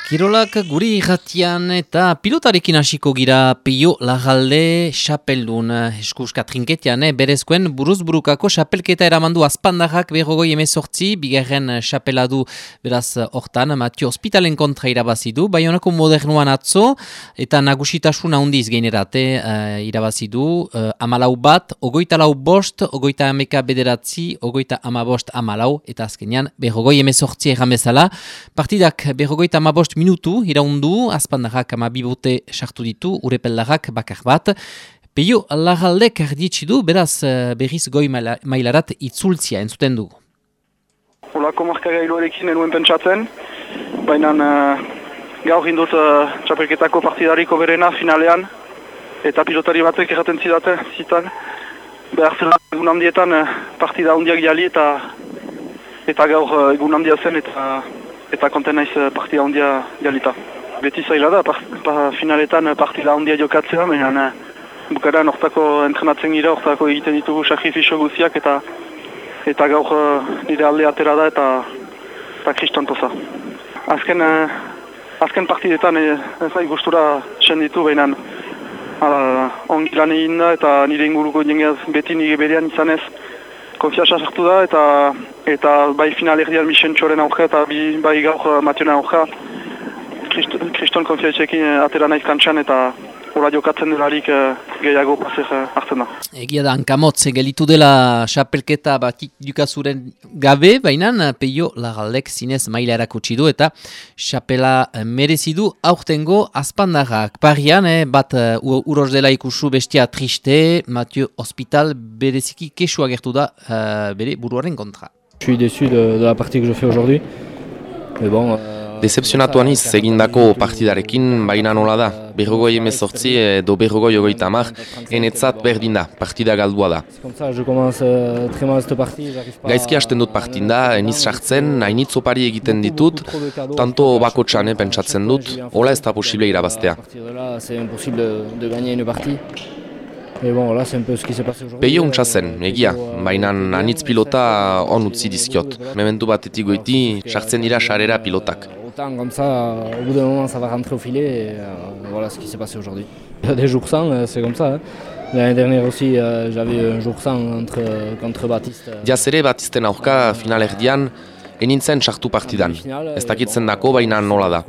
Kirolak guri irratian eta pilotarekin hasiko gira Peio Larralde xapeldun eskuska trinketian, berezkoen buruz-burukako xapelketa eramandu azpandarrak 2018, bigarren xapeladu beraz hortan, Mathieu Hospitalen kontra irabazidu, Baionako Modernuan atzo, eta nagusitasun handiz gainerate irabazidu, 14 bat, 24 bost, 34 bederatzi, 35 14 eta azkenean 2018 erran bezala, partidak 50 minutu iraundu, azpandarrak 12 bote sartu ditu, urepeldarrak bakar bat. Peio Larraldek ardietxidu, beraz berriz goi mailarat itzultzia entzuten dugu. Olako markagailuarekin enuen pentsatzen, baina gaur indut txapelketako partidariko berena finalean, eta pilotari batek erraten zitan, behar zela egun handietan partida handiak jali eta gaur egun handia zen eta konten naiz partida handia jalita. Beti zaila da, finaletan partida handia jokatzea, baina bukaran hortako entrenatzen gira, hortako egiten ditugu sakrifizio guziak eta gaur nire alde atera da eta kriston poza. Azken partidetan ez gustura senditu, baina ongi lan egin da eta nire inguruko jengeaz beti nire berean izanez konfianza sartu da eta bai final erdian Michel Txoren aurka eta bai gaur Matioen aurka kriston konfiantzekin atera naiz kantxan eta hola jokatzen delarik gehiago paser hartzen da. Egia da, hankamotz gelitu dela xapelketa batik dukazuren gabe, baina Peio Larraldek zinez maila erakutsi du eta xapela merezidu aurtengo azpandarrak. Parian, bat uroz dela ikusu bestia triste, Mathieu Hospital bereziki kesua gertu da bere buruaren kontra. Je suis déçu de la partie que je fais aujourd'hui, mais bon... Decepzionatu aniz egindako partidarekin, baina nola da. 2018 edo 2030 enetzat berdin da, partida galdua da. Gaizki hasten dut partinda, eniz sartzen, hainitz opari egiten ditut, tanto bakotxan pentsatzen dut, hola ez da posible irabaztea. Peio untsa zen, egia, baina anitz pilota on utzi dizkiot. Mementu batetik goiti, sartzen dira sarera pilotak. Comme ça, au bout d'un moment, ça va rentrer au filet et voilà ce qui s'est passé aujourd'hui. Il y a des jours sans, c'est comme ça. L'année dernière aussi, j'avais un jour sans contre Baptiste. Diaz ere Baptisten aurka final erdian, enintzen sartu partidan. Ez dakitzen dako, baina nola da.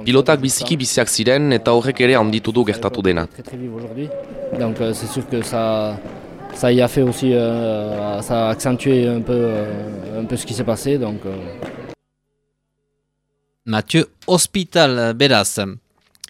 Pilotak biziki biziak ziren eta horrek ere handitu du gertatu dena. Donc c'est sûr que ça y a fait aussi, ça a accentué un peu ce qui s'est passé. Donc, Mathieu Hospital beraz.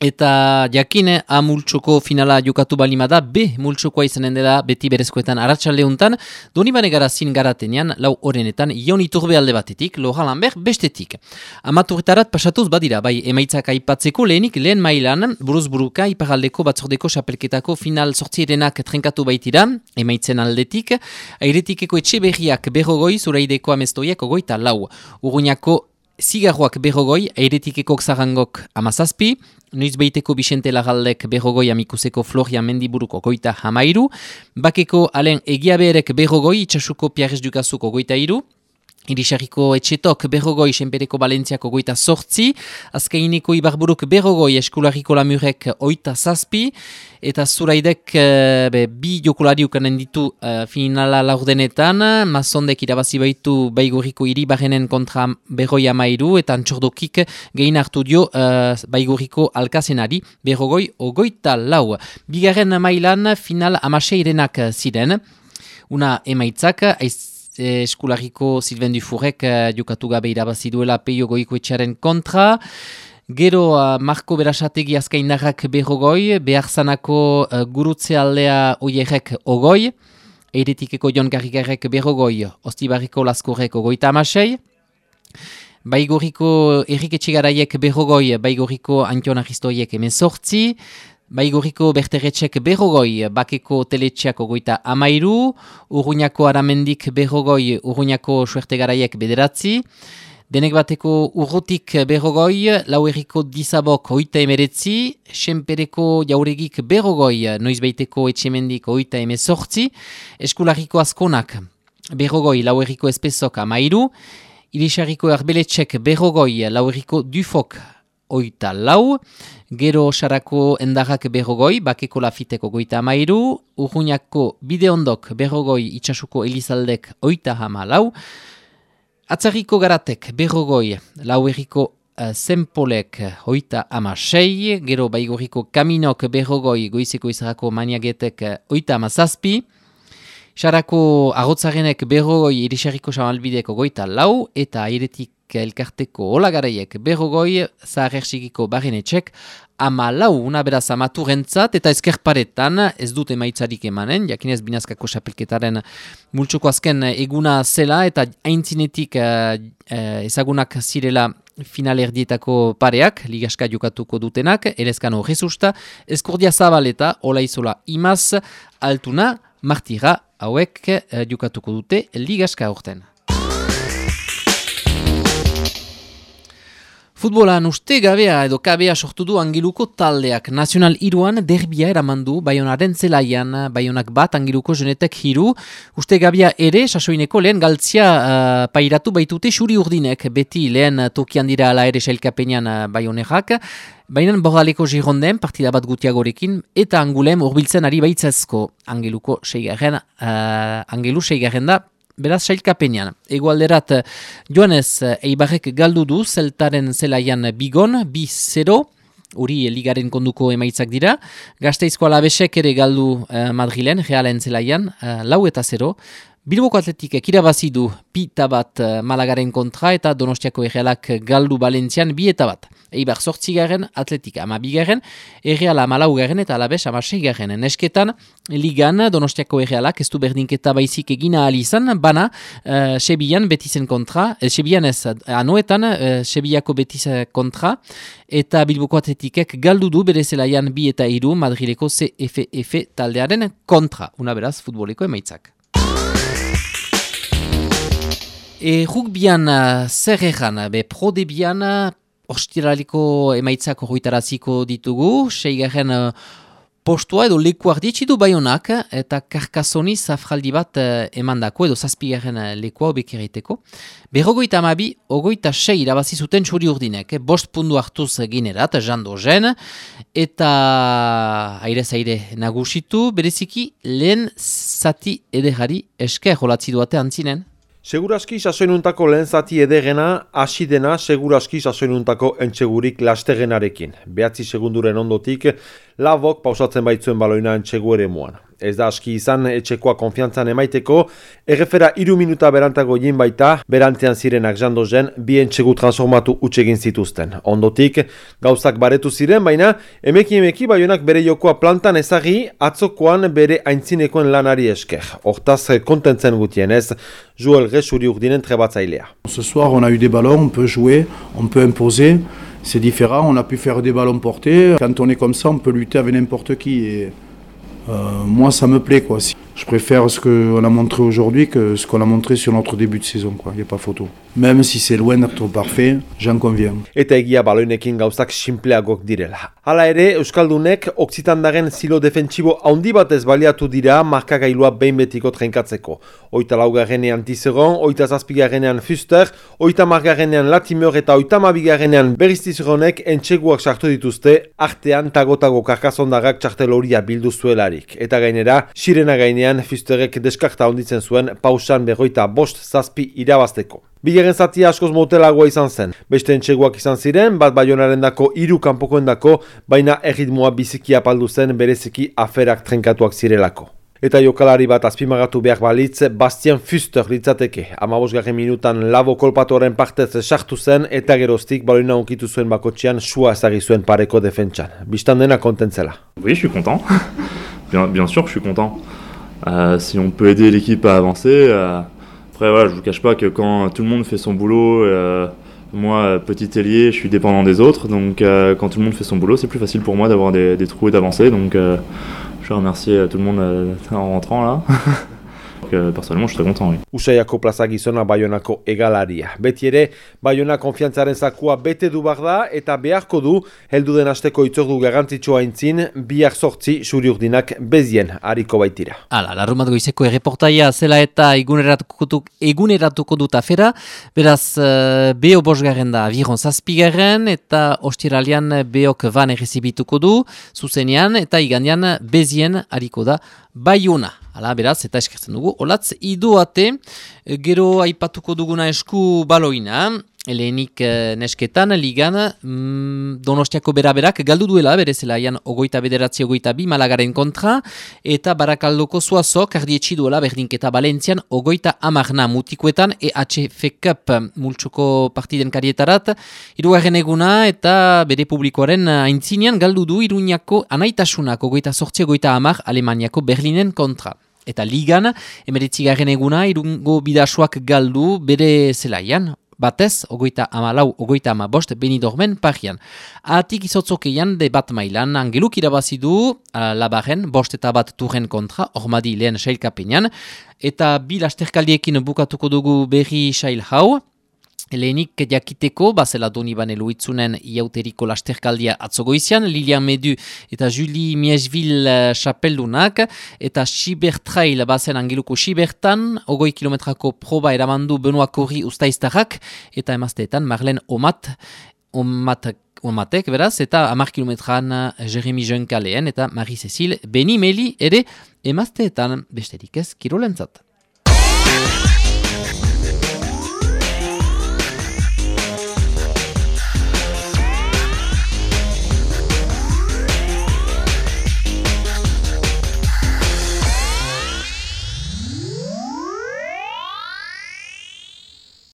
Eta jakine A multxoko finala jokatu balimada, B multxokoa izanen dela beti berezkoetan arratsaldeuntan, Donibane Garazin garatenean, lau orenetan, Ion Iturbe alde batetik, Laurent Lambert bestetik. Amaturretarat pasatuz badira, bai emaitzak aipatzeko lehen mailan, buruz-buruka iparaldeko batzordeko xapelketako final sortzierenak trenkatu baitira, emaitzen aldetik, airetikeko Etxeberriak berrogoi, Zuraideko Amestoiak 24, Urruñako Zigarroak berrogoi, airetikeko Xarangok 17, Noizbeiteko Bixente Larraldek berrogoi, Amikuseko Floria Mendiburuko 13, Bakeko Alen Egiaberek berrogoi, Itxasuko Piarez Dukazuko 23, Irisarriko Etxetok berrogoi, Senpereko Balentziako 28, Azkaineko Ibarburuk berrogoi, Eskularriko Lamurek 27, eta Zuraidek bi jokulari ukanen ditu finala laurdenetan, Mazondek irabazi baitu Baigorriko Iribarrenen kontra berroi 13, eta Antxordokik gehin hartu dio Baigorriko Alkazenari berrogoi 24. Bigarren mailan final 16 ziren, una emaitzak, Eskularriko Sylvain Dufurek jokatu gabe irabazi duela Peio Goikoetxearen kontra. Gero Marko Berasategi Azkaindarrak berrogoi, Beharzanako Gurutze aldea Oierrek ogoi, Eiretikeko Jon Garrigarrek berrogoi, Ostibarriko Laskorrek 36, Baigorriko Errik Etxegaraiek berrogoi, Baigorriko Antion Aristoiek 18, Baigorriko Berterretxek berrogoi, Bakeko Teletxeak 13, Urruñako Aramendik berrogoi, Urruñako Suertegaraiek 9, Denek bateko Urrutik berrogoi, Lauerriko Dizabok 19, Senpereko Jauregik berrogoi, Noizbeiteko Etxemendik 18, Eskularriko Azkonak berrogoi, Lauerriko Espezok 13, Irisarriko Arbeletxek berrogoi, Lauerriko Dufok 34, gero Sarako Endarrak 40, Bakeko Lafiteko 33, Urruñako Bideondok 40, Itsasuko Elizaldek 34, Atzarriko Garatek 40, Lauerriko Zenpolek 36, gero Baigorriko Kaminok 40, Goizeko Izarako Maniagetek 37, Sarako Arotzarenek 40, Irisarriko Samalbideko 34, eta Airetik Elkarteko Olagaraiek 40, Zaharersikiko Barrenetxek 14, una beraz amaturentzat eta ezkerparetan ez dut emaitzarik emanen, jakinez binazkako xapelketaren multxoko azken eguna zela eta aintzinetik ezagunak zirela finalerdietako pareak, ligaska jokatuko dutenak, Elezkano Jesusta, Eskordia Zabaleta, Olaizola Imaz, Altuna, Martira, hauek jokatuko dute ligaska aurten. Futbolan uste gabea edo kabea sortu du Angeluko taldeak. Nazional 3an derbia eramandu Baionaren zelaian, Baionak bat Angeluko Jenetek 3. Uste gabea ere, sasoineko lehen galtzia pairatu baitute xuri urdinek, beti lehen tokian dira ala ere sailkapenean Baionerak. Baina Bordaleko Gironden partida bat gutiagorekin eta Angulem urbiltzen ari baitzazko Angelu 6 da. Beraz, sailkapenean. Egoalderat, Joanez Eibarrek galdu du zeltaren zelaian Bigon, 2-0, hori ligaren konduko emaitzak dira. Gasteizko Alabesek ere galdu Madrilen, Realen zelaian, 4-0. Bilboko Atletikek irabazi du 2-1 Malagaren kontra eta Donostiako Errealak galdu Valentzian 2-1. Eibar 8, Atletika 12, Erreala 14 eta Alabes 16. Nesketan, ligan Donostiako Errealak ez du berdinketa baizik egina alizan, bana Sebian Betizen kontra, Sebian ez anoetan, Sebiako Betiz kontra, eta Bilboko Atletikek galdu du bere zelaian 2-3 Madrileko CFF taldearen kontra. Una beraz, futboleko emaitzak. Rugbian zer egan, Pro Debian ostiraliko emaitzak horretaraziko ditugu, 6. postua edo lekuak ditxidu Baionak eta Karkasoni zafraldi bat emandako edo 7. lekua obekeriteko. 52-26 irabazi zuten txuri urdinek, 5 puntu hartuz ginerat, Jandozen, eta aire nagusitu, bereziki lehen zati ederari esker holatzi duate antzinen. Seguraski sasoinuntako lehen zati edegena, hasi dena seguraski sasoinuntako entxegurik lastegenarekin. 9 segunduren ondotik, Labok pausatzen baitzuen baloina entxegu ere muan. Ez da aski izan etxekoa konfiantzan emaiteko, errefera 3 minuta berantago jin baita, berantean zirenak Jandozen, 2 entxegu transformatu utxegin zituzten. Ondotik, gauzak baretu ziren, baina emeki Baionak bere jokoa plantan ezagi, atzokoan bere aintzinekoen lanari esker. Hortaz, kontentzen gutienez, Joel Gesuri urdinen trebatzailea. Ce soir, on a eu des ballons, on peut jouer, on peut imposer. C'est différent, on a pu faire des ballons portés. Quand on est comme ça, on peut lutter avec n'importe qui. Et, moi, ça me plaît, quoi. Je préfère ce qu'on a montré aujourd'hui que ce qu'on a montré sur notre début de saison, quoi. Il n'y a pas photo. Même si c'est loin d'être parfait, j'en conviens. Eta egia baloinekin gauzak sinpleagok direla. Hala ere, Euskaldunek Oksitandaren zilo defentsibo handi batez baliatu dira markagailua behin betiko trenkatzeko. 34 Tizeron, 37 Fuster, 30 Latimer eta 32 Berriz-Tizeronek entxeguak sartu dituzte, artean tagotago Karkasondarrak txartel horia bildu zuelarik. Eta gainera, sirena gainean Fusterek deskarta onditzen zuen pausan 55-7 irabazteko. Bigarren zatia askoz motelagoa izan zen. Beste entxeguak izan ziren, bat Baionarendako 3 kanpokoendako, baina erritmoa biziki apaldu zen bereziki aferak trenkatuak zirelako. Eta jokalari bat azpimagatu behar balitz, Bastien Fuster litzateke. 15. minutan Labo kolpatoren partez sartu zen eta geroztik baloina onkitu zuen bakotxean sua ezagi zuen pareko defentsan. Bistan dena kontentzela. Oui, je suis content. Bien sûr, je suis content. Si on peut aider l'équipe à avancer. Après, voilà, je vous cache pas que quand tout le monde fait son boulot, moi, petit ailier, je suis dépendant des autres. Donc, quand tout le monde fait son boulot, c'est plus facile pour moi d'avoir des trous et d'avancer. Donc, je remercie tout le monde en rentrant là. personnellement, je suis très content. Oui. Usaiako plaza gizona Baionako egalaria. Beti ere, Baiona konfiantzaren zakua bete du behar da eta beharko du heldu den asteko itzordu garrantzitsua aintzin, bihar 8 Xuri-Urdinak bezien hariko baitira. Hala, larrumat goizeko erreportaia zela eta eguneratuko dut afera, beraz BO bosgarren da aviron 7 eta ostiralian BOk van errezibituko du, zuzenean eta igandean bezien hariko da Baiona. Hala, beraz, eta eskertzen dugu. Olatz, idoate, gero aipatuko duguna esku baloina, lehenik nesketan, ligan, Donostiako beraberak galdu duela, bere zelaian 29-22 Malagaren kontra, eta Barakaldoko Zuazok ardietxi duela berdinketa Valentzian 30 mutikoetan EHF Cup multsuko partiden karietarat, hirugarren eguna eta bere publikoaren aintzinean galdu du Iruñako anaitasunak 28-30 Alemaniako Berlinen kontra. Eta ligan, 19. eguna, Irungo Bidasoak galdu bere zelaian, batez, 34-35 Benidormen parian. Atik izotzokeian de bat mailan, Angeluk irabazidu Labaren, 5-1 turren kontra, Ormadi lehen sailkapenean, eta bi lasterkaldiekin bukatuko dugu berri sail hau. Lehenik jakiteko, bazela Donibane Luitzunen iauteriko lasterkaldia atzogoizian, Lilian Medu eta Julie Miesville chapeldunak, eta Sibertrail bazen Angeluko Sibertan, 20 kilometrako proba eramandu Benoit Korri ustaiztarrak, eta emazteetan Marlene Omatek, beraz, eta 10 kilometran Jeremy Junkaleen eta Marie-Cécile Benimeli ere emazteetan besterik ez kirolentzat.